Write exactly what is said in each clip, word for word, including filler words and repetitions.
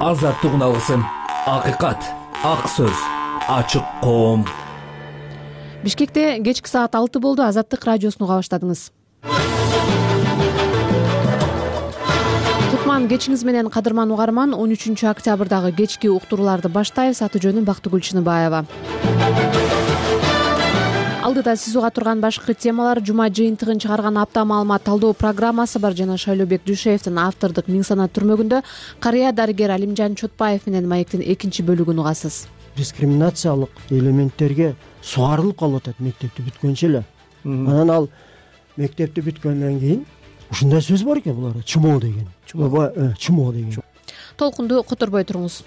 азаттык алсын, акыйкат, ак сөз, ачык коом. Бишкекте кечки саат алты болду. Азаттык радиосуну уга баштадыңыз. Кутман кечиңиз менен, кадырман угарман. он үчүнчү октябрдагы кечки уктурууларды баштайбыз. Аты жөнүм Бактыгүл Чыныбаева. Алдыда сиз уга турган башкы темалар: жума жыйынтыгын чыгарган апта маалымат талдоо программасы бар жана Шайлообек Дүйшеевдин автордук Миң санат түрмөгүндө карыя дарыгер Алимжан Чотпаев менен маектин экинчи бөлүгүн угасыз. Дискриминациялык элементтерге сугарылып калып атат мектепти бүткөнчө эле. Анан ал мектепти бүткөндөн кийин ушундай сөз бар экен буларда: чумоо деген. Чумоо, чумоо деген. Толкунду которбой туруңуз.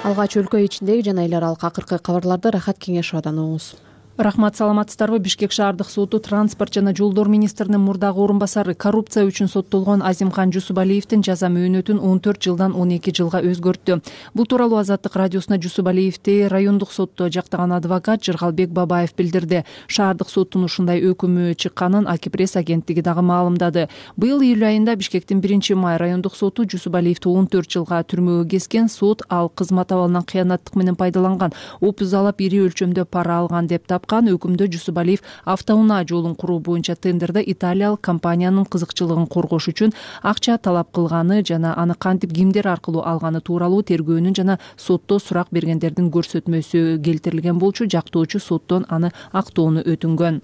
Алгач өлкө ичиндеги жана эл аралык акыркы кабарларды Рахат Кеңешовадан угуңуз. Рахмат, саламатсыздарбы? Бишкек шаардык соту транспорт жана жолдор министринин мурдагы орун басары коррупция үчүн соттолгон Азимхан Жусупалиевдин жаза мөөнөтүн он төрт жылдан он эки жылга өзгөрттү. Бул тууралуу Азаттык радиосуна Жусупалиевди райондук сотто жактаган адвокат Жыргалбек Бабаев билдирди. Шаардык соттун ушундай өкүмү чыкканын Аки пресс агенттиги дагы маалымдады. Быйыл июль айында Бишкектин биринчи май райондук соту Жусупалиевди он төрт жылга түрмөгө кескен. Сот ал кызмат абалынан кыянаттык менен пайдаланган, опуз алып ири өлчөмдө пара алган деп тапкан. Өкүмдө Жусупалиев автоунаа жолун куруу боюнча тендерде италиялык компаниянын кызыкчылыгын коргош үчүн акча талап кылганы жана аны кантип кимдер аркылуу алганы тууралуу тергөөнүн жана сотто сурак бергендердин көрсөтмөсү келтирилген болчу. Жактоочу соттон аны актоону өтүнгөн.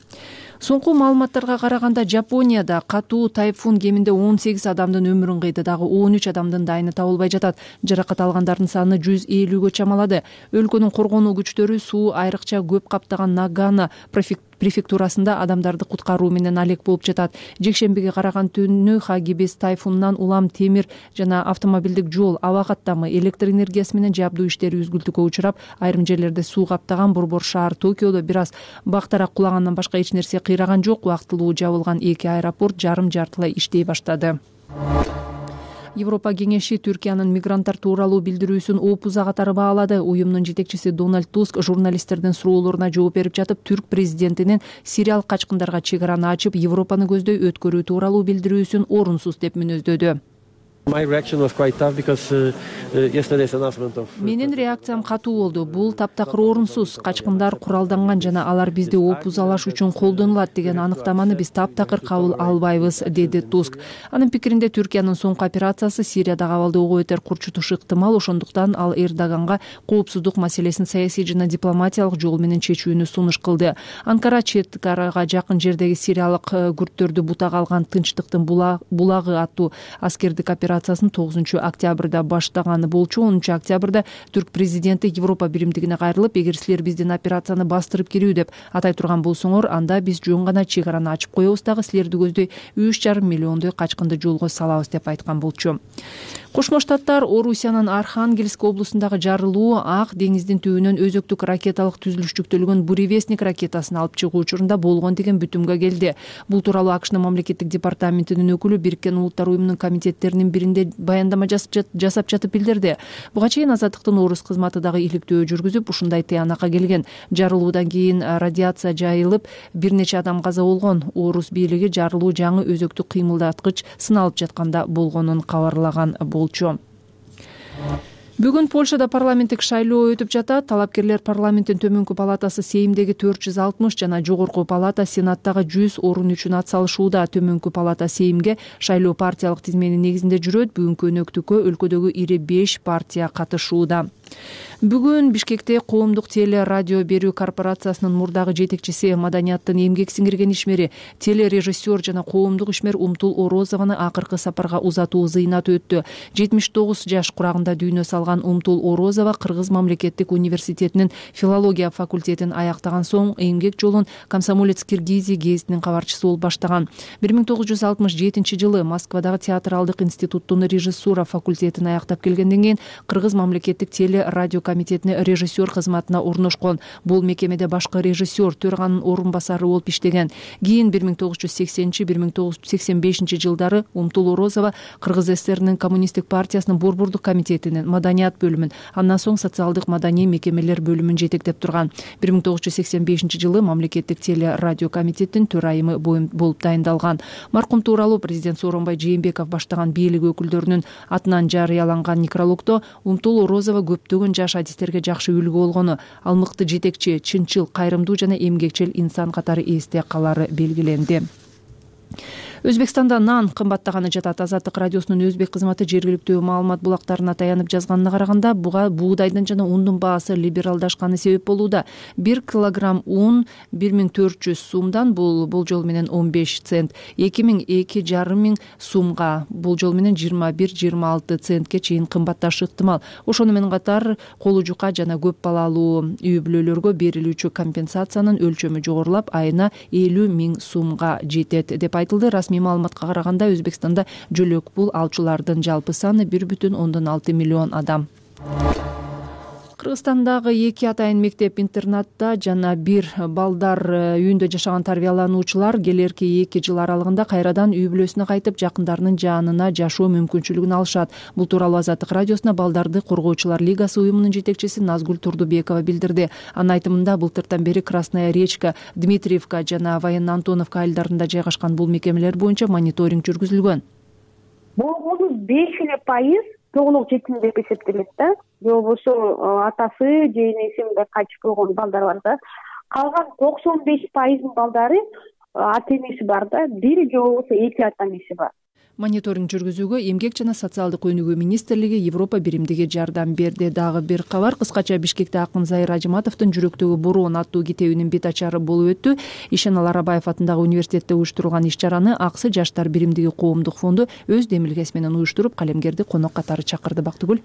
Соңку маалыматтарга караганда Жапонияда катуу тайфун кеминде он сегиз адамдын өмүрүн кыйды, дагы он үч адамдын дайыны табылбай жатат. Жаракат алгандардын саны жүз элүүгө чамалады. Өлкөнүн коргонуу күчтөрү суу айрыкча көп каптаган Нагано префектурасында адамдарды куткаруу менен алек болуп жатат. Жекшембиге караган түнү Хагибис тайфунунан улам темир жана автомобилдик жол, аба каттамы, электр энергиясы менен жабдуу иштери үзгүлтүккө учурап, айрым жерлерде суу каптаган. Борбор шаар Токиодо бир аз бактарак кулагандан башка эч нерсе кыйраган жок. Убактылуу жабылган эки аэропорт жарым жартылай иштей баштады. Европа кеңеши Түркиянын мигранттар тууралуу билдирүүсүн опуза катары баалады. Уюмдун жетекчиси Дональд Туск журналисттердин суроолоруна жооп берип жатып, түрк президентинин сириялык качкындарга чекараны ачып, Европаны көздөй өткөрүү тууралуу билдирүүсүн орунсуз деп мүнөздөдү. Менин реакциям катуу болду. Бул таптакыр орунсуз. Качкындар куралданган жана алар бизди опузалаш үчүн колдонулат деген аныктаманы биз таптакыр кабыл албайбыз, деди Туск. Анын пикиринде Түркиянын соңку операциясы Сириядагы абалды ого бетер курчутушу ыктымал. Ошондуктан ал Эрдоганга коопсуздук маселесин саясий жана дипломатиялык жол менен чечүүнү сунуш кылды. Анкара чет арага жакын жердеги сириялык күрттөрдү бутага алган Тынчтыктын булагы аттуу аскердик операциясын тогузунчу октябрда баштаганы болчу. онунчу октябрда түрк президенти Европа биримдигине кайрылып, эгер силер биздин операцияны бастырып кирүү деп атай турган болсоңор, анда биз жөн гана чек араны ачып коебуз, дагы силерди көздөй үч жарым миллиондой качкынды жолго салабыз деп айткан болчу. Кошмо Штаттар Орусиянын Архангельск облусундагы жарылуу Ак деңиздин түбүнөн өзөктүк ракеталык түзүлүш жүктөлгөн Буревестник ракетасын алып чыгуу учурунда болгон деген бүтүмгө келди. Бул тууралуу АКШнын мамлекеттик департаментинин өкүлү Бириккен Улуттар уюмунун комитеттеринин биринде баяндама жасап жатып билдирди. Буга чейин Азаттыктын Орус кызматы дагы иликтөө жүргүзүп, ушундай тыянакка келген. Жарылуудан кийин радиация жайылып, бир нече адам каза болгон. Орус бийлиги жарылуу жаңы өзөктүк кыймылдаткыч сыналып жатканда болгонун кабарлаган болчу. Бүгүн Польшада парламенттик шайлоо өтүп жатат. Талапкерлер парламенттин төмөнкү палатасы Сеймдеги төрт жүз алтымыш жана жогорку палата Сенаттагы жүз орун үчүн ат салышууда. Төмөнкү палата Сеймге шайлоо партиялык тизменин негизинде жүрөт. Бүгүнкү өнөктүккө өлкөдөгү ири беш партия катышууда. Бүгүн Бишкекте коомдук теле радио берүү корпорациясынын мурдагы жетекчиси, маданияттын эмгек сиңирген ишмери, телережиссер жана коомдук ишмер Умтул Орозованы акыркы сапарга узатуу зыйнаты өттү. жетимиш тогуз жаш курагында дүйнө салган Умтул Орозова Кыргыз мамлекеттик университетинин филология факультетин аяктаган соң эмгек жолун Комсомолец Киргизия гезитинин кабарчысы болуп баштаган. бир миң тогуз жүз алтымыш жетинчи жылы Москвадагы театралдык институттун режиссура факультетин аяктап келгенден кийин Кыргыз мамлекеттик теле телерадио комитетине режиссер кызматына орношкон. Бул мекемеде башкы режиссер, төраганын орун басары болуп иштеген. Кийин бир миң тогуз жүз сексенинчи — бир миң тогуз жүз сексен бешинчи жылдары Умтул Орозова Кыргыз ССРнин коммунисттик партиясынын борбордук комитетинин маданият бөлүмүн, андан соң социалдык маданий мекемелер бөлүмүн жетектеп турган. бир миң тогуз жүз сексен бешинчи жылы мамлекеттик телерадио комитетинин төрайымы болуп дайындалган. Маркум тууралуу президент Сооронбай Жээнбеков баштаган бийлик өкүлдөрүнүн атынан жарыяланган некрологдо Умтул Орозова көптөгөн жаш адистерге жакшы үлгү болгону, ал мыкты жетекчи, чынчыл, кайрымдуу жана эмгекчил инсан катары эсте калары белгиленди. Өзбекстанда нан кымбаттаганы жатат. Азаттык радиосунун өзбек кызматы жергиликтүү маалымат булактарына таянып жазганына караганда, буга буудайдын жана ундун баасы либералдашканы себеп болууда. бир килограмм ун бир миң төрт жүз сумдан, бул болжол менен он беш цент, эки миң эки жарым миң сумга, болжол менен жыйырма бир — жыйырма алты центке чейин кымбатташы ыктымал. Ошону менен катар колу жука жана көп балалуу үй бүлөлөргө берилүүчү компенсациянын өлчөмү жогорулап, айына элүү миң сумга жетет деп айтылды. Расмий маалыматка караганда, Өзбекстанда жөлөк пул алчулардын жалпы саны бир бүтүн ондон алты миллион адам. Кыргызстандагы эки атайын мектеп-интернатта жана бир балдар үйүндө жашаган тарбиялануучулар келерки эки жыл аралыгында кайрадан үй бүлөсүнө кайтып, жакындарынын жанына жашоо мүмкүнчүлүгүн алышат. Бул тууралуу Азаттык радиосуна Балдарды коргоочулар лигасы уюмунун жетекчиси Назгүл Турдубекова билдирди. Анын айтымында, былтыртан бери Красная Речка, Дмитриевка жана Военно-Антоновка айылдарында жайгашкан бул мекемелер боюнча мониторинг жүргүзүлгөн. Болгону беш эле пайыз толук жетим деп эсептелет да. Же болбосо атасы же энеси мындай кайтып койгон балдар бар да. Калган токсон беш пайыздын балдары ата энеси бар да, бир же болбосо эки ата энеси бар. Мониторинг жүргүзүүгө Эмгек жана социалдык өнүгүү министрлиги, Европа биримдиги жардам берди. Дагы бир кабар, кыскача Бишкекте акын Зайыр Ажыматовдун Жүрөктөгү бороон аттуу китебинин бет ачары болуп өттү. Ишенал Арабаев атындагы университетте уюштурулган иш-чараны Аксы жаштар биримдиги коомдук фонду өз демилгеси менен уюштуруп, калемгерди конок катары чакырды. Бактыгүл.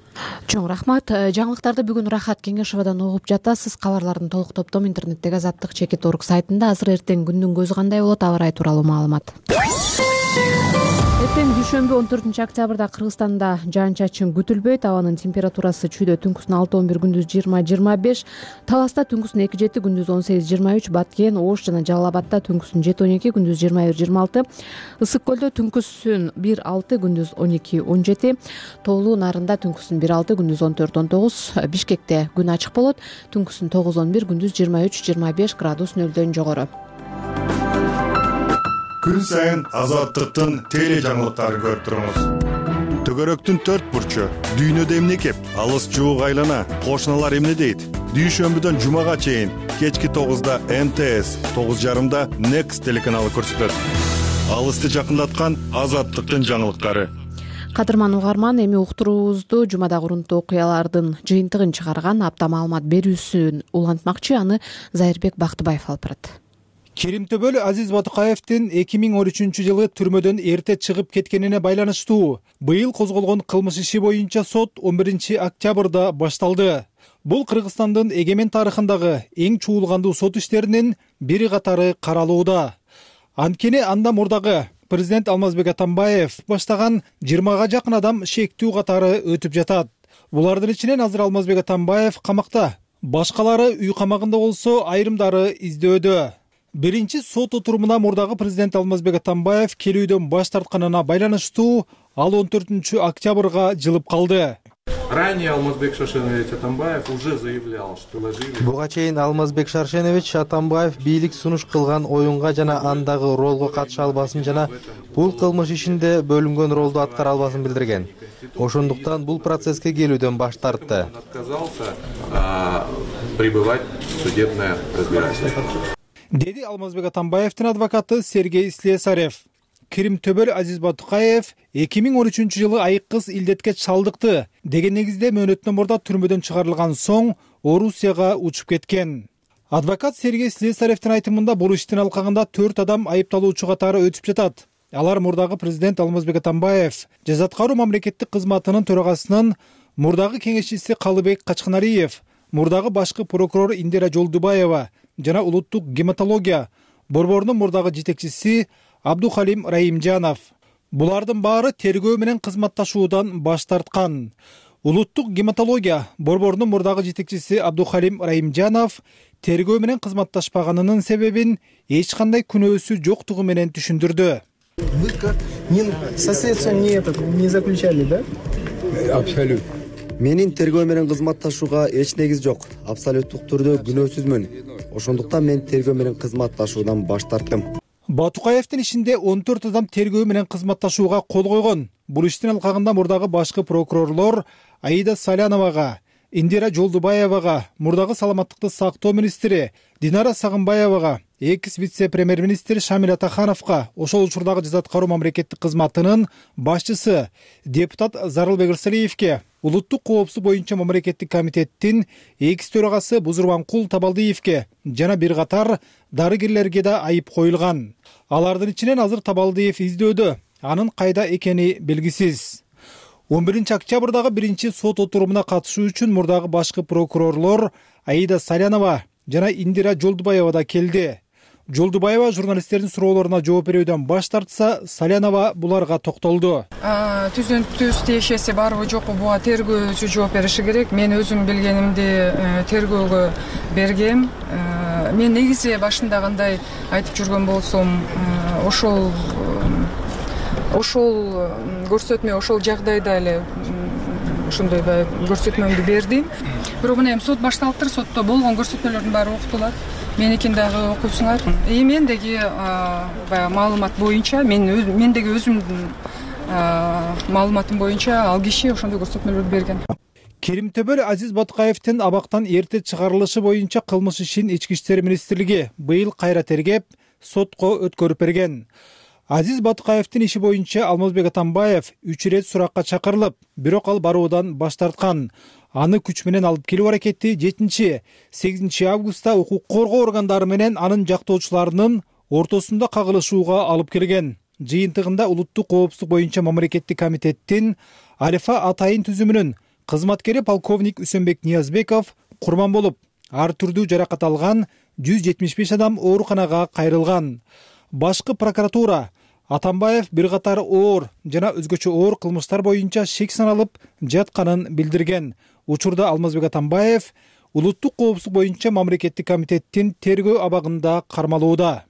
Чоң рахмат. Жаңылыктарды бүгүн Рахат Кеңешовадан угуп жатасыз. Кабарлардын толук топтому интернеттеги азаттык чекит точка орг сайтында. Азыр эртең күндүн көзү кандай болот, аба ырайы тууралуу маалымат. Эртең дүйшөмбү он төртүнчү октябрда Кыргызстанда жаан-чачын күтүлбөйт. Абанын температурасы чүйдө түнкүсүн алты он бир, күндүз жыйырма — жыйырма беш. Таласта түнкүсүн эки жети, күндүз он сегиз — жыйырма үч. Баткен, Ош жана Жалал Абадта түнкүсүн жети он эки, күндүз жыйырма бир — жыйырма алты. Ысык көлдө түнкүсүн бир алты, күндүз он эки — он жети. Тоолуу Нарында түнкүсүн бир алты, күндүз он төрт — он тогуз. Бишкекте күн ачык болот. Түнкүсүн тогуз он бир, күндүз жыйырма үч — жыйырма беш градус нөлдөн жогору. Күн сайын Азаттыктын теле жаңылыктарын көрүп туруңуз. Төгөрөктүн төрт бурчу, дүйнөдө эмне кеп, алыс жуук айлана, кошуналар эмне дейт? Дүйшөмбүдөн жумага чейин кечки тогузда М Т С, тогуз жарымда Next телеканалы көрсөтөт. Алысты жакындаткан Азаттыктын жаңылыктары. Кадырман угарман, эми уктуруубузду жумадагы урунттуу окуялардын жыйынтыгын чыгарган апта маалымат берүүсүн улантмакчы. Аны Зайырбек Бактыбаев алып барат. Керимтөбөл Азиз Батукаевдин эки миң он үчүнчү жылы түрмөдөн эрте чыгып кеткенине байланыштуу быйыл козголгон кылмыш иши боюнча сот он биринчи октябрда башталды. Бул Кыргызстандын эгемен тарыхындагы эң чуулгандуу сот иштеринин бири катары каралууда. Анткени анда мурдагы президент Алмазбек Атамбаев баштаган жыйырмага жакын адам шектүү катары өтүп жатат. Булардын ичинен азыр Алмазбек Атамбаев камакта. Башкалары үй камагында болсо, айрымдары издөөдө. Биринчи сот отурумуна мурдагы президент Алмазбек Атамбаев келүүдөн баш тартканына байланыштуу ал он төртүнчү октябрга жылып калды. Ранее Алмазбек Шаршенович Атамбаев уже заявлял, что вложили. Буга чейин Алмазбек Шаршенович Атамбаев бийлик сунуш кылган оюнга жана андагы ролго катыша албасын жана бул кылмыш ишинде бөлүнгөн ролду аткара албасын билдирген. Ошондуктан бул процесске келүүдөн баш тартты. Отказался пребывать в судебное разбирательство. Деди Алмазбек Атамбаевдин адвокаты Сергей Слесарев. Керимтөбөл Азиз Батукаев эки миң он үчүнчү жылы айыккыс илдетке чалдыкты деген негизде мөөнөттөн мурда түрмөдөн чыгарылган соң Орусияга учуп кеткен. Адвокат Сергей Слесаревдин айтымында бул иштин алкагында төрт адам айыпталуучу катары өтүп жатат. Алар мурдагы президент Алмазбек Атамбаев, жаза аткаруу мамлекеттик кызматынын төрагасынын мурдагы кеңешчиси Калыбек Качканалиев, мурдагы башкы прокурор Индира Жолдубаева жана улуттук гематология борборунун мурдагы жетекчиси Абдухалим Раимжанов. Булардын баары тергөө менен кызматташуудан баш тарткан. Улуттук гематология борборунун мурдагы жетекчиси Абдухалим Райымжанов тергөө менен кызматташпаганынын себебин эч кандай күнөөсү жоктугу менен түшүндүрдү. Вы как со следствием не этот не заключали, да? Абсолютно. Менин тергөө менен кызматташууга эч негиз жок. Абсолюттук түрдө күнөөсүзмүн. Ошондуктан мен тергөө менен кызматташуудан баш тарттым. Батукаевдин ишинде он төрт адам тергөө менен кызматташууга кол койгон. Бул иштин алкагында мурдагы башкы прокурорлор Аида Саляновага, Индира Жолдубаевага, мурдагы саламаттыкты сактоо министри Динара Сагынбаевага, экс вице-премьер-министр Шамил Атахановго, ошол учурдагы жаза аткаруу мамлекеттик кызматынын башчысы депутат Зарылбек Ырсалиевге, улуттук коопсуздук боюнча мамлекеттик комитеттин экс төрагасы Бузурманкул Табалдиевге жана бир катар дарыгерлерге да айып коюлган. Алардын ичинен азыр Табалдиев издөөдө, анын кайда экени белгисиз. он биринчи октябрдагы биринчи сот отурумуна катышуу үчүн мурдагы башкы прокурорлор Аида Салянова жана Индира Жолдубаева да келди. Жолдубаева журналисттердин суроолоруна жооп берүүдөн баш тартса, Салянова буларга токтолду. Түзүнүктүү тиешеси барбы жокпу буга тергөөчү жооп бериши керек. Мен өзүм билгенимди тергөөгө бергем. Мен негизи башында кандай айтып жүргөн болсом, ошол ошол көрсөтмө ошол жагдайда эле ошондой көрсөтмөмдү бердим. Бирок мына эми сот башталыптыр, сотто болгон көрсөтмөлөрдүн баары окутулат. Меникин дагы окуйсуңар. И мендеги баягы маалымат боюнча, мен мендеги өзүмдүн маалыматым боюнча ал киши ошондой көрсөтмөлөрдү берген. Керимтөбөл Азиз Батукаевдин абактан эрте чыгарылышы боюнча кылмыш ишин Ички иштер министрлиги быйыл кайра тергеп, сотко өткөрүп берген. Азиз Батукаевдин иши боюнча Алмазбек Атамбаев үч ирет суракка чакырылып, бирок ал баруудан баш тарткан. Аны күч менен алып келүү аракети жетинчи сегизинчи августта укук коргоо органдары менен анын жактоочуларынын ортосунда кагылышууга алып келген. Жыйынтыгында улуттук коопсуздук боюнча мамлекеттик комитеттин Алифа Атайын түзүмүнүн кызматкери полковник Үсөнбек Ниязбеков курман болуп, ар түрдүү жаракат алган жүз жетимиш беш адам ооруканага кайрылган. Башкы прокуратура Атамбаев бир катар оор жана өзгөчө оор кылмыштар боюнча шек саналып жатканын билдирген. Учурда Алмазбек Атамбаев улуттук коопсуздук боюнча мамлекеттик комитеттин тергөө абагында кармалууда.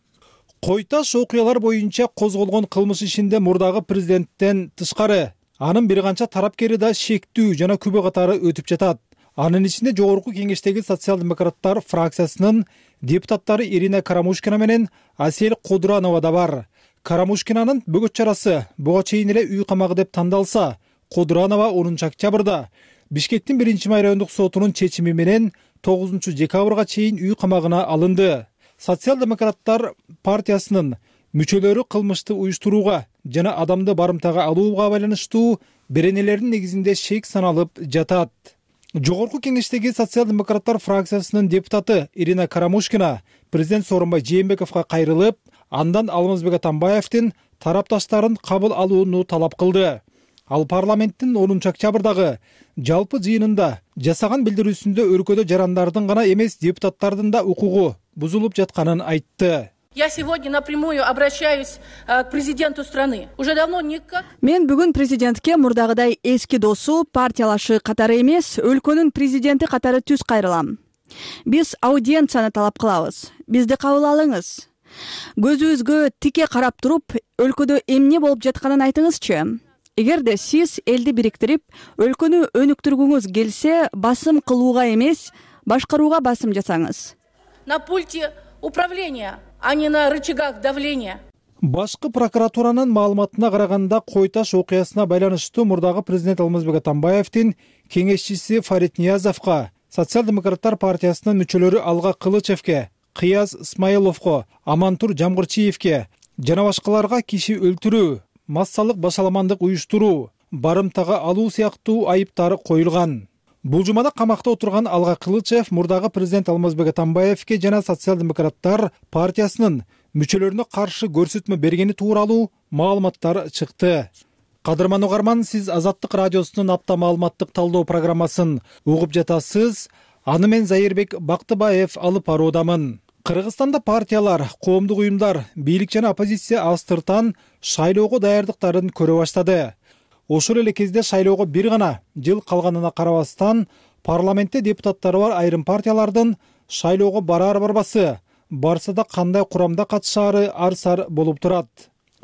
Кой Таш окуялар боюнча козголгон кылмыш ишинде мурдагы президенттен тышкары анын бир канча тарапкери да шектүү жана күбө катары өтүп жатат. Анын ичинде жогорку кеңештеги социал-демократтар фракциясынын депутаттары Ирина Карамушкина менен Асель Кодуранова да бар. Карамушкинанын бөгөт чарасы буга чейин эле үй камагы деп тандалса, Кодуранова онунчу октябрда Бишкектин биринчи райондук сотунун чечими менен тогузунчу декабрга чейин үй камагына алынды. Социал-демократтар партиясынын мүчөлөрү кылмышты уюштурууга жана адамды барымтага алууга байланыштуу беренелердин негизинде шек саналып жатат. Жогорку кеңештеги социал-демократтар фракциясынын депутаты Ирина Карамушкина президент Сооронбай Жээнбековго кайрылып, андан Алмазбек Атамбаевдин тарапташтарын кабыл алууну талап кылды. Ал парламенттин онунчу октябрдагы жалпы жыйынында жасаган билдирүүсүндө өлкөдө жарандардын гана эмес депутаттардын да укугу бузулуп жатканын айтты. Я сегодня напрямую обращаюсь к президенту страны. Уже давно никак. Мен бүгүн президентке мурдагыдай эски досу, партиялашы катары эмес, өлкөнүн президенти катары түз кайрылам. Биз аудиенцияны талап кылабыз. Бизди кабыл алыңыз. Көзүбүзгө тике карап туруп, өлкөдө эмне болуп жатканын айтыңызчы. Эгерде сиз элди бириктирип, өлкөнү өнүктүргүңүз келсе, басым кылууга эмес, башкарууга басым жасаңыз. На пульте управления, а не на рычагах давления. Башкы прокуратуранын маалыматына караганда Кой Таш окуясына байланыштуу мурдагы президент Алмазбек Атамбаевдин кеңешчиси Фарид Ниязовго, социал-демократтар партиясынын мүчөлөрү Алга Кылычевге, Кыяз Исмаиловго, Амантур Жамгырчиевге жана башкаларга киши өлтүрүү, массалык башаламандык уюштуруу, барымтага алуу сыяктуу айыптары коюлган. Бул жумада камакта отурган Алга Кылычев мурдагы президент Алмазбек Атамбаевге жана социал-демократтар партиясынын мүчөлөрүнө каршы көрсөтмө бергени тууралуу маалыматтар чыкты. Кадырман угарман, сиз Азаттык радиосунун апта маалыматтык талдоо программасын угуп жатасыз. Аны мен Зайырбек Бактыбаев алып баруудамын. Кыргызстанда партиялар, коомдук уюмдар, бийлик жана оппозиция астыртан шайлоого даярдыктарын көрө баштады. Ошол эле кезде шайлоого бир гана жыл калганына карабастан парламентте депутаттары бар айрым партиялардын шайлоого бараар барбасы, барса да кандай курамда катышаары ар сар болуп турат.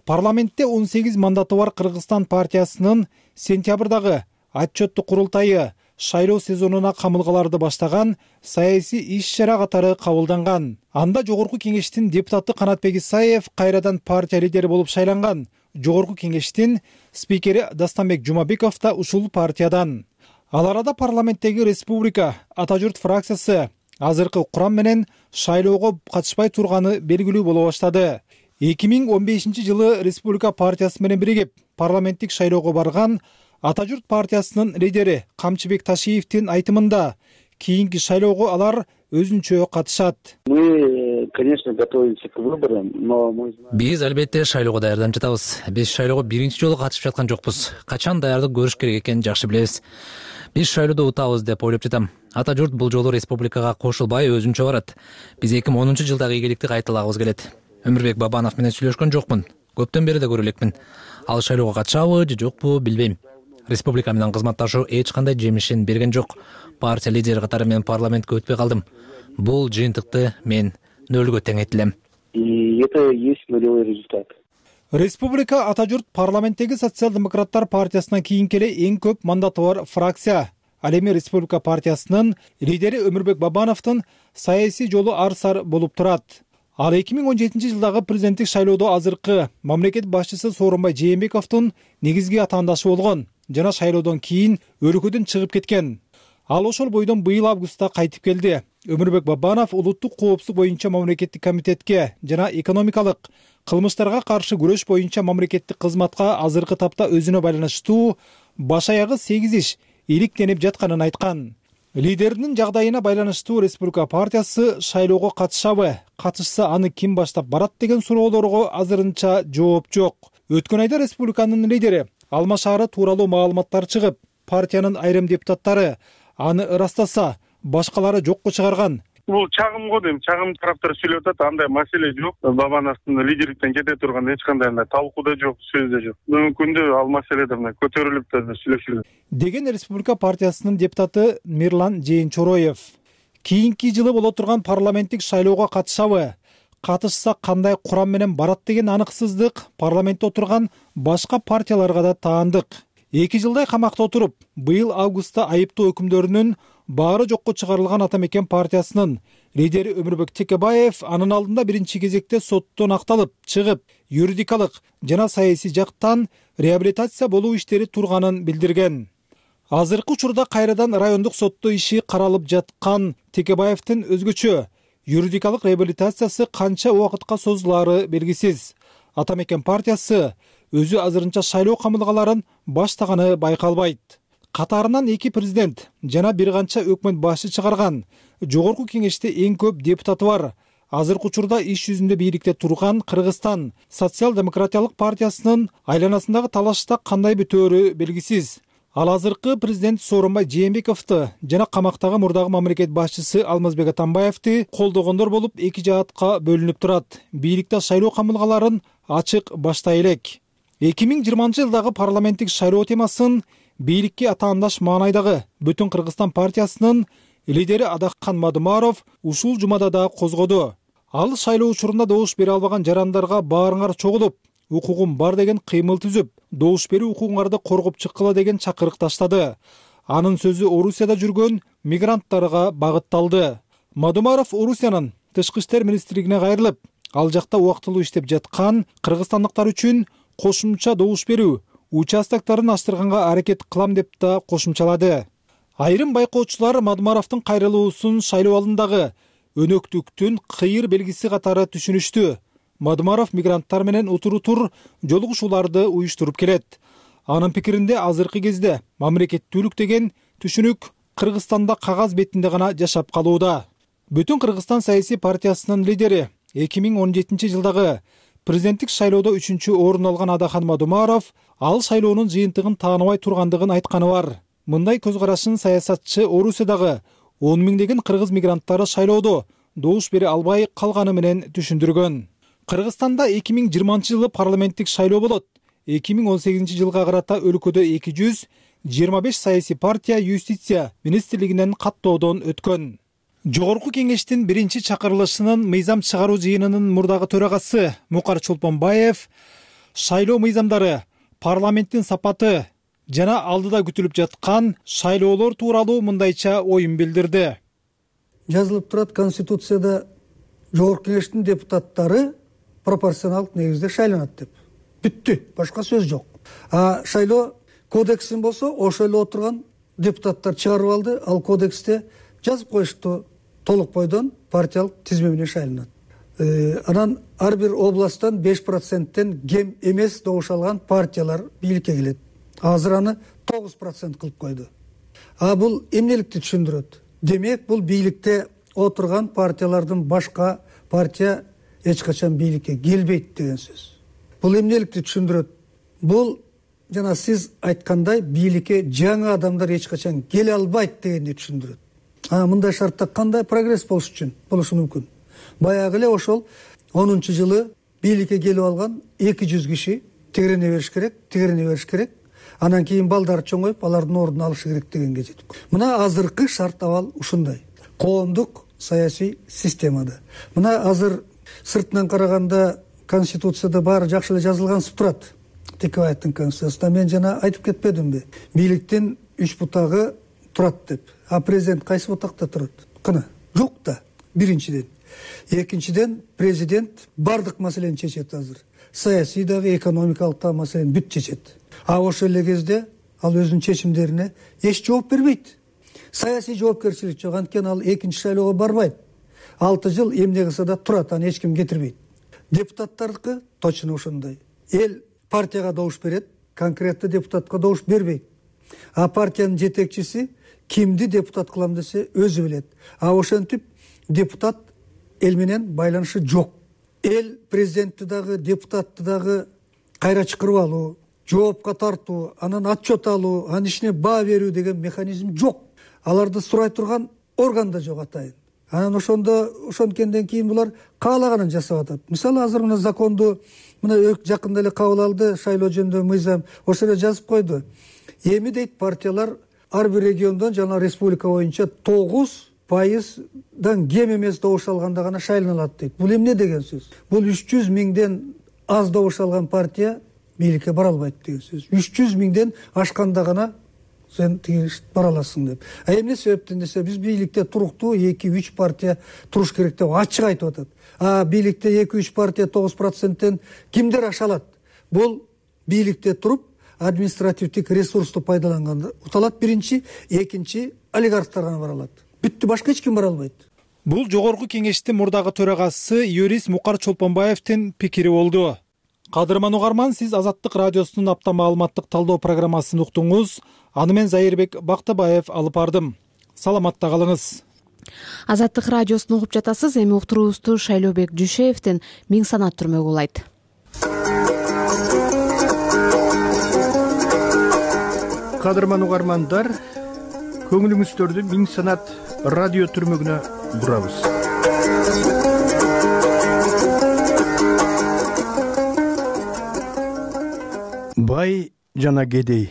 Парламентте он сегиз мандаты бар Кыргызстан партиясынын сентябрдагы отчеттук курултайы шайлоо сезонуна камылгаларды баштаган саясий иш-чара катары кабылданган. Анда жогорку кеңештин депутаты Канатбек Исаев кайрадан партия лидери болуп шайланган. Жогорку кеңештин спикери Дастанбек Жумабеков да ушул партиядан. Ал арада парламенттеги Республика Ата журт фракциясы азыркы курам менен шайлоого катышпай турганы белгилүү боло баштады. эки миң он бешинчи жылы Республика партиясы менен биригип парламенттик шайлоого барган Ата журт партиясынын лидери Камчыбек Ташиевдин айтымында кийинки шайлоого алар өзүнчө катышат. Мы, конечно, готовимся к выборам, но мы Биз албетте шайлоого даярданып жатабыз. Биз шайлоого биринчи жолу катышып жаткан жокпуз. Качан даярдык көрүш керек экенин жакшы билебиз. Биз шайлоодо утабыз деп ойлоп жатам. Ата журт бул жолу республикага кошулбай өзүнчө барат. Биз эки миң онунчу жылдагы ийгиликти кайталагыбыз келет. Өмүрбек Бабанов менен сүйлөшкөн жокмун. Көптөн бери да көрө элекмин. Ал шайлоого катышабы же жокпу билбейм. Республика менен кызматташуу эч кандай жемишин берген жок. Партия лидери катары мен парламентке өтпөй калдым. Бул жыйынтыкты мен нөлгө тең этилем. И это есть нулевой результат. Республика Ата журт парламенттеги социал-демократтар партиясынан кийинки эле эң көп мандаты бар фракция. Ал эми Республика партиясынын лидери Өмүрбек Бабановдун саясий жолу ар сар болуп турат. Ал эки миң он жетинчи жылдагы президенттик шайлоодо азыркы мамлекет башчысы Сооронбай Жээнбековдун негизги атаандашы болгон жана шайлоодон кийин өлкөдөн чыгып кеткен. Ал ошол бойдон быйыл августта кайтып келди. Өмүрбек Бабанов улуттук коопсуздук боюнча мамлекеттик комитетке жана экономикалык кылмыштарга каршы күрөш боюнча мамлекеттик кызматка азыркы тапта өзүнө байланыштуу баш аягы сегиз иш иликтенип жатканын айткан. Лидердин жагдайына байланыштуу Республика партиясы шайлоого катышабы, катышса аны ким баштап барат деген суроолорго азырынча жооп жок. Өткөн айда республиканын лидери Алма шаары тууралуу маалыматтар чыгып, партиянын айрым депутаттары аны ырастаса, башкалары жокко чыгарган. Бул чагым го дейм, чагым тараптар сүйлөп атат, андай маселе жок. Бабановдун лидерликтен кете турган эч кандай талкуу да жок, сөз да жок. Бүгүнкү күндө ал маселеде мына көтөрүлүп да сүйлөшүлөт. Деген Республика партиясынын депутаты Мирлан Жээнчороев. Кийинки жылы боло турган парламенттик шайлоого катышабы, катышса кандай курам менен барат деген аныксыздык парламентте отурган башка партияларга да таандык. эки жылдай камакта отуруп, быйыл августта айыптоо өкүмдөрүнүн баары жокко чыгарылган Ата мекен партиясынын лидери Өмүрбек Текебаев анын алдында биринчи кезекте соттон акталып чыгып, юридикалык жана саясий жактан реабилитация болуу иштери турганын билдирген. Азыркы учурда кайрадан райондук сотто иши каралып жаткан Текебаевдин өзгөчө юридикалык реабилитациясы канча убакытка созулаары белгисиз. Ата мекен партиясы өзү азырынча шайлоо камылгаларын баштаганы байкалбайт. Катарынан эки президент жана бир канча өкмөт башы чыгарган. Жогорку кеңеште эң көп депутаты бар. Азыркы учурда иш жүзүндө бийликте турган Кыргызстан социал-демократиялык партиясынын айланасындагы талашта кандай бүтөөрү белгисиз. Ал азыркы президент Сооронбай Жээнбековду жана камактагы мурдагы мамлекет башчысы Алмазбек Атамбаевди колдогондор болуп эки жаатка бөлүнүп турат. Бийликте шайлоо камылгаларын ачык баштай элек. эки миң жыйырманчы жылдагы парламенттик шайлоо темасын бийликке атаандаш маанайдагы Бүтүн Кыргызстан партиясынын лидери Адакхан Мадумаров ушул жумада да козгоду. Ал шайлоо учурунда добуш бере албаган жарандарга баарыңар чогулуп, укугум бар деген кыймыл түзүп, добуш берүү укугуңарды коргоп чыккыла деген чакырык таштады. Анын сөзү Орусияда жүргөн мигранттарга багытталды. Мадумаров Орусиянын тышкы иштер министрлигине кайрылып, ал жакта убактылуу иштеп жаткан кыргызстандыктар үчүн кошумча добуш берүү участоктарын ачтырганга аракет кылам деп да кошумчалады. Айрым байкоочулар Мадумаровдун кайрылуусун шайлоо алдындагы өнөктүктүн кыйыр белгиси катары түшүнүштү. Мадумаров мигранттар менен утур-утур жолугушууларды уюштуруп келет. Анын пикиринде азыркы кезде мамлекеттүүлүк деген түшүнүк Кыргызстанда кагаз бетинде гана жашап калууда. Бүтүн Кыргызстан саясий партиясынын лидери эки миң он жетинчи жылдагы президенттик шайлоодо үчүнчү орун алган Адакхан Мадумаров ал шайлоонун жыйынтыгын тааныбай тургандыгын айтканы бар. Мындай көз карашын саясатчы Орусиядагы он миңдеген кыргыз мигранттары шайлоодо добуш бере албай калганы менен түшүндүргөн. Кыргызстанда эки миң жыйырманчы жылы парламенттик шайлоо болот. эки миң он сегизинчи жылга карата өлкөдө эки жүз жыйырма беш саясий партия юстиция министрлигинен каттоодон өткөн. Жогорку кеңештин биринчи чакырылышынын мыйзам чыгаруу жыйынынын мурдагы төрагасы Мукар Чолпонбаев шайлоо мыйзамдары, парламенттин сапаты жана алдыда күтүлүп жаткан шайлоолор тууралуу мындайча оюн билдирди. Жазылып турат Конституцияда жогорку кеңештин депутаттары пропорционалдык негизде шайланат деп. Бүттү, башка сөз жок. А шайлоо кодексин болсо ошол эле отурган депутаттар чыгарып алды. Ал кодексте жазып коюшту толук бойдон партиялык тизме менен шайланат. Анан ар бир областтан беш проценттен кем эмес добуш алган партиялар бийликке келет. Азыр аны тогуз процент кылып койду. А бул эмнеликти түшүндүрөт? Демек, бул бийликте отурган партиялардын башка партия эч качан бийликке келбейт деген сөз. Бул эмнеликти түшүндүрөт? Бул жана сиз айткандай бийликке жаңы адамдар эч качан келе албайт дегенди түшүндүрөт. А мындай шартта кандай прогресс болуш үчүн болушу мүмкүн? Баягы эле ошол онунчу жылы бийликке келип алган эки жүз киши тегерене бериш керек, тегерене бериш керек. Анан кийин балдарды чоңоюп, алардын ордун алышы керек дегенге жетип. Мына азыркы шарт абал ушундай. Коомдук саясий системада. Мына азыр сыртынан караганда Конституцияда баары жакшы эле жазылгансып турат. Текебаевдин конституциясында мен жана айтып кетпедимби? Бийликтин үч бутагы турат деп. А президент кайсы бутакта турат? Кана, жок да. Биринчиден. Экинчиден, президент бардык маселени чечет азыр. Саясий дагы, экономикалык да маселени бүт чечет. А ошол эле кезде ал өзүнүн чечимдерине эч жооп бербейт. Саясий жоопкерчилик жок, анткени ал экинчи шайлоого барбайт. алты жыл эмне кылса да турат, аны эч ким кетирбейт. Депутаттардыкы точно ошондой. Эл партияга добуш берет, конкреттүү депутатка добуш бербейт. А партиянын жетекчиси кимди депутат кылам десе өзү билет. А ошентип депутат эл менен байланышы жок. Эл президентти дагы, депутатты дагы кайра чакырып алуу, жоопка тартуу, анан отчет алуу, анын ишине баа берүү деген механизм жок. Аларды сурай турган орган да жок атайын. Анан ошондо ошонткенден кийин булар каалаганын жасап атат. Мисалы азыр мына законду мына жакында эле кабыл алды, шайлоо жөнүндө мыйзам, ошол эле жазып койду. Эми дейт партиялар ар бир региондон жана республика боюнча тогуз пайыздан кем эмес добуш алганда гана шайланалат дейт. Бул эмне деген сөз? Бул үч жүз миңден аз добуш алган партия бийликке бара албайт деген сөз. үч жүз миңден ашканда гана сен тиги бара аласың деп. А эмне себептен десе, биз бийликте туруктуу эки үч партия туруш керек деп ачык айтып атат. А бийликте эки үч партия тогуз проценттен кимдер аша алат? Бул бийликте туруп административдик ресурсту пайдаланганда уталат биринчи, экинчи олигархтар гана бара алат. Бүттү, башка эч ким бара албайт. Бул жогорку кеңештин мурдагы төрагасы юрист Мукар Чолпонбаевдин пикири болду. Кадырман угарман, сиз Азаттык радиосунун апта маалыматтык талдоо программасын уктуңуз. Аны мен Зайырбек Бактыбаев алып бардым. Саламатта калыңыз. Азаттык радиосун угуп жатасыз. Эми уктуруубузду Шайлообек Дүйшеевдин Миң санат түрмөгү улайт. Кадырман угармандар, көңүлүңүздөрдү Миң санат радио түрмөгүнө бурабыз. Бай жана кедей,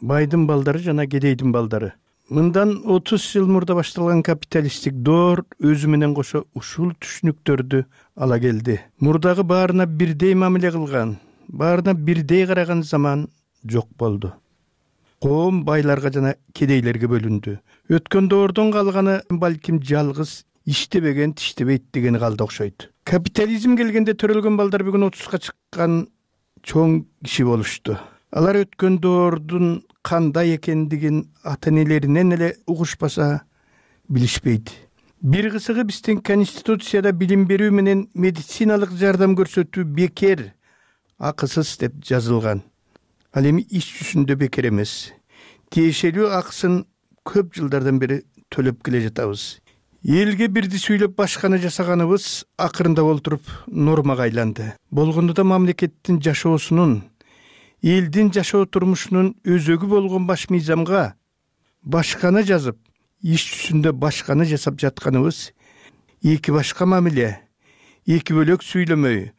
байдын балдары жана кедейдин балдары. Мындан отуз жыл мурда башталган капиталисттик доор өзү менен кошо ушул түшүнүктөрдү ала келди. Мурдагы баарына бирдей мамиле кылган, баарына бирдей караган заман жок болду. Коом байларга жана кедейлерге бөлүндү. Өткөн доордон калганы балким жалгыз иштебеген тиштебейт дегени калды окшойт. Капитализм келгенде төрөлгөн балдар бүгүн отузга чыккан чоң киши болушту. Алар өткөн доордун кандай экендигин ата-энелеринен эле угушпаса билишпейт. Бир кысыгы биздин Конституцияда билим берүү менен медициналык жардам көрсөтүү бекер, акысыз деп жазылган. Ал эми иш жүзүндө бекер эмес. Тиешелүү акысын көп жылдардан бери төлөп келе жатабыз. Элге бирди сүйлөп башканы жасаганыбыз акырында олтуруп нормага айланды. Болгондо да мамлекеттин жашоосунун, элдин жашоо турмушунун өзөгү болгон баш мыйзамга башканы жазып, иш жүзүндө башканы жасап жатканыбыз эки башка мамиле, эки бөлөк сүйлөмөй,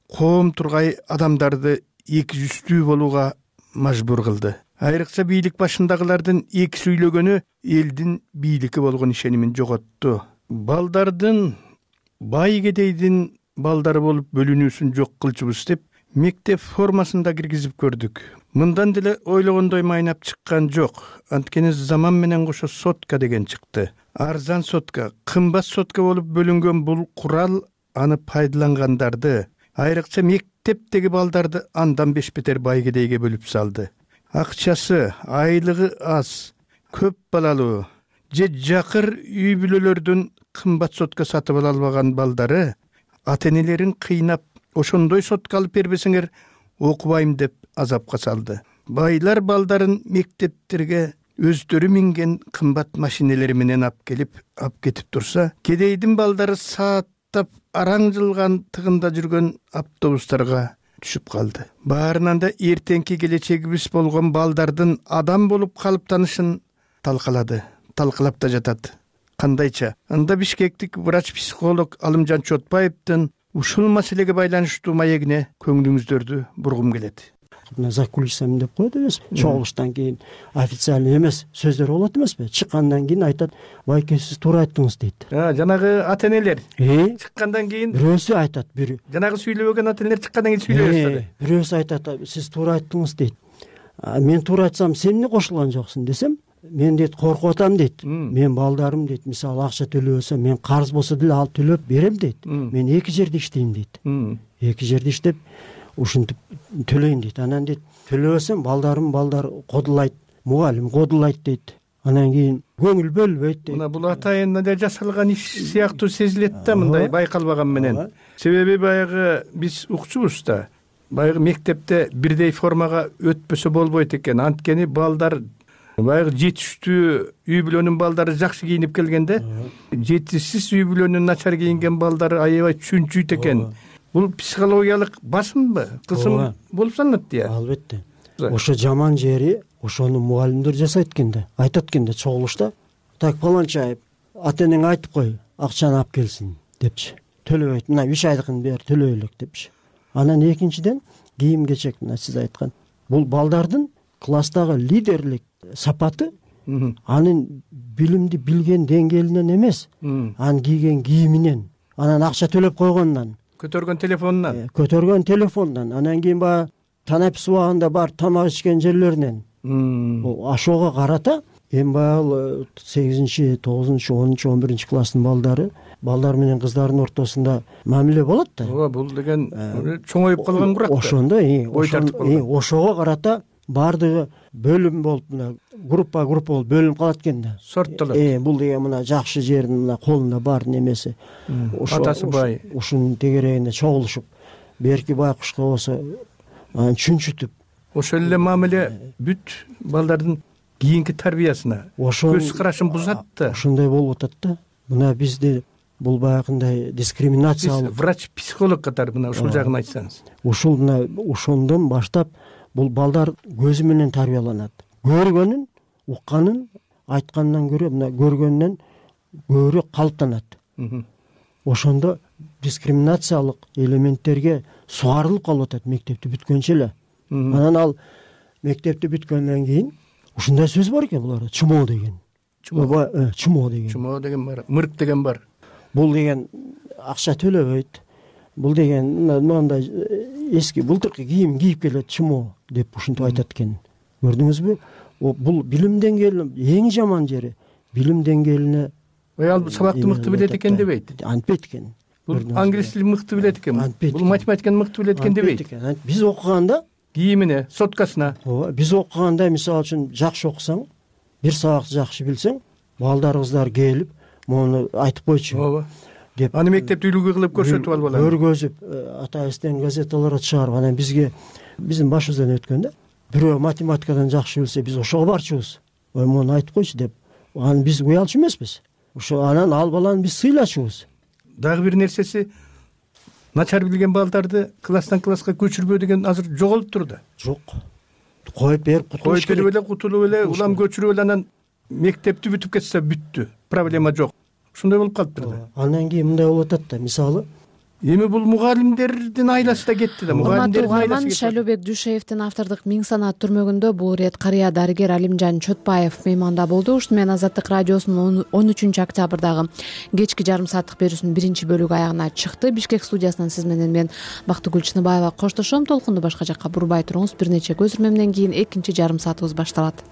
коом тургай адамдарды эки жүздүү болууга мажбур кылды. Айрыкча бийлик башындагылардын эки сүйлөгөнү элдин бийликке болгон ишенимин жоготту. Балдардын бай кедейдин балдары болуп бөлүнүүсүн жок кылчубуз деп мектеп формасында киргизип көрдүк. Мындан деле ойлогондой майнап чыккан жок. Анткени заман менен кошо сотка деген чыкты. Арзан сотка, кымбат сотка болуп бөлүнгөн бул курал аны пайдалангандарды, айрыкча мектептеги балдарды андан беш бетер бай кедейге бөлүп салды. Акчасы, айлыгы аз, көп балалуу же жакыр үй бүлөлөрдүн кымбат сотка сатып ала албаган балдары ата-энелерин кыйнап, ошондой сотка алып бербесеңер окубайм деп азапка салды. Байлар балдарын мектептерге өздөрү минген кымбат машинелери менен алып келип, алып кетип турса, кедейдин балдары сааттап араң жылган тыгында жүргөн автобустарга түшүп калды. Баарынан да эртеңки келечегибиз болгон балдардын адам болуп калыптанышын талкалады, талкалап да жатат. Кандайча? Анда Бишкектик врач-психолог Алымжан Чотпаевдин ушул маселеге байланыштуу маегине көңүлүңүздөрдү бургум келет. Мына за кулисами деп коет эмеспи? Чогулуштан кийин официальный эмес сөздөр болот эмеспи? Чыккандан кийин айтат, байке сиз туура айттыңыз дейт. Жанагы ата-энелер чыккандан кийин бирөөсү айтат, бир жанагы сүйлөбөгөн ата-энелер чыккандан кийин сүйлөй баштады. Бирөөсү айтат, сиз туура айттыңыз дейт. Мен туура айтсам, сен эмне кошулган жоксуң десем, мен дейт коркуп атам дейт. Мен балдарым дейт, мисалы акча төлөбөсө, мен карыз болсо деле алып төлөп берем дейт. Мен эки жерде иштейм дейт. Эки жерде иштеп ушинтип төлөйм дейт. Анан дейт, төлөбөсөм балдарым балдар кодулайт, мугалим кодулайт дейт. Анан кийин көңүл бөлбөйт дейт. Мына бул атайында жасалган иш сыяктуу сезилет да, мындай байкалбаган менен. Себеби баягы биз укчубуз да. Баягы мектепте бирдей формага өтпөсө болбойт экен. Анткени балдар баягы жетиштүү үй бүлөнүн балдары жакшы кийинип келгенде, жетишсиз үй бүлөнүн начар кийинген балдары аябай чүнчүйт экен. Бул психологиялык басымбы, кысым болуп саналат да. Албетте. Ошо жаман жери ошону мугалимдер жасайт экен да. Айтат экен да чогулушта, так паланча ата-энең айтып кой, акчаны алып келсин депчи. Төлөбөйт. Мына үч айдыкын бер төлөй элек депчи. Анан экинчиден кийим кечек, мына сиз айткан. Бул балдардын класстагы лидерлик сапаты анын билимди билген деңгээлинен эмес, анын кийген кийиминен, анан акча төлөп койгонунан, көтөргөн телефонунан, көтөргөн телефонунан, анан кийин баягы танапис убагында бар тамак ичкен жерлеринен. Ошого карата эми баягы сегизинчи, тогузунчу, онунчу, он биринчи класстын балдары, балдар менен кыздардын ортосунда мамиле болот да. Ооба, бул деген чоңоюп калган курак да. Ошондо, ошого карата баардыгы бөлүм болуп, мына группа группа болуп бөлүнүп калат экен да. Сорттолот. Э, бул деген мына жакшы жердин мына колунда бар немеси. Атасы бай. Ушунун тегерегинде чогулушуп, берки байкушка болсо анан чүнчүтүп. Ошол эле мамиле бүт балдардын кийинки тарбиясына, көз карашын бузат да. Ошондой болуп атат да. Мына бизде бул баягындай дискриминациялык. Врач-психолог катары мына ушул жагын айтсаңыз. Ушул мына ошондон баштап бул балдар көзү менен тарбияланат. Көргөнүн, укканын айткандан көрө мына көргөндөн көбүрөөк калыптанат. Ошондо дискриминациялык элементтерге сугарылып калып атат мектепти бүткөнчө эле. Анан ал мектепти бүткөндөн кийин ушундай сөз бар экен буларда, чумоо деген. Чумоо, чумоо деген. Чумоо деген бар, мырк деген бар. Бул деген акча төлөбөйт. Бул деген мындай эски былтыркы кийим кийип келет, чумоо деп ушинтип айтат экен. Көрдүңүзбү? Бул билим деңгээли эң жаман жери. Билим деңгээлине ал сабакты мыкты билет экен дебейт. Антпейт экен. Бул англис тилин мыкты билет экен. Бул математиканы мыкты билет экен дебейт. Биз окуганда кийимине, соткасына. Ооба, биз окуганда мисалы үчүн жакшы окусаң, бир сабакты жакшы билсең, балдар кыздар келип, мону айтып койчу. Ооба. Деп аны мектепте үлгү кылып көрсөтүп алып алат. Көргөзүп, атайбыздын газеталарга чыгарып, анан бизге биздин башыбыздан өткөндө бирөө математикадан жакшы билсе, биз ошого барчубуз. Ой, мону айтып койчу деп. Аны биз уялчу эмеспиз. Ошо анан ал баланы биз сыйлачубуз. Дагы бир нерсеси, начар билген балдарды класстан класска көчүрбөө деген азыр жоголуптур да. Жок. Коюп берип кутулуш керек. Коюп берип эле кутулуп эле, улам көчүрүп эле анан мектепти бүтүп кетсе бүттү. Проблема жок. Ушундай болуп калыптыр да. Андан кийин мындай болуп атат да, мисалы, эми бул мугалимдердин айласы да кетти да. Урматтуу угарман, Шайлообек Дүйшеевдин автордук миң санаат түрмөгүндө бул ирет карыя дарыгер Алимжан Чотпаев мейманда болду. Ушуну менен Азаттык радиосунун он үчүнчү октябрдагы кечки жарым сааттык берүүсүнүн биринчи бөлүгү аягына чыкты. Бишкек студиясынан сиз менен мен Бактыгүл Чыныбаева коштошом. Толкунду башка жакка бурбай туруңуз. Бир нече көзүрмөмдөн кийин экинчи жарым саатыбыз башталат.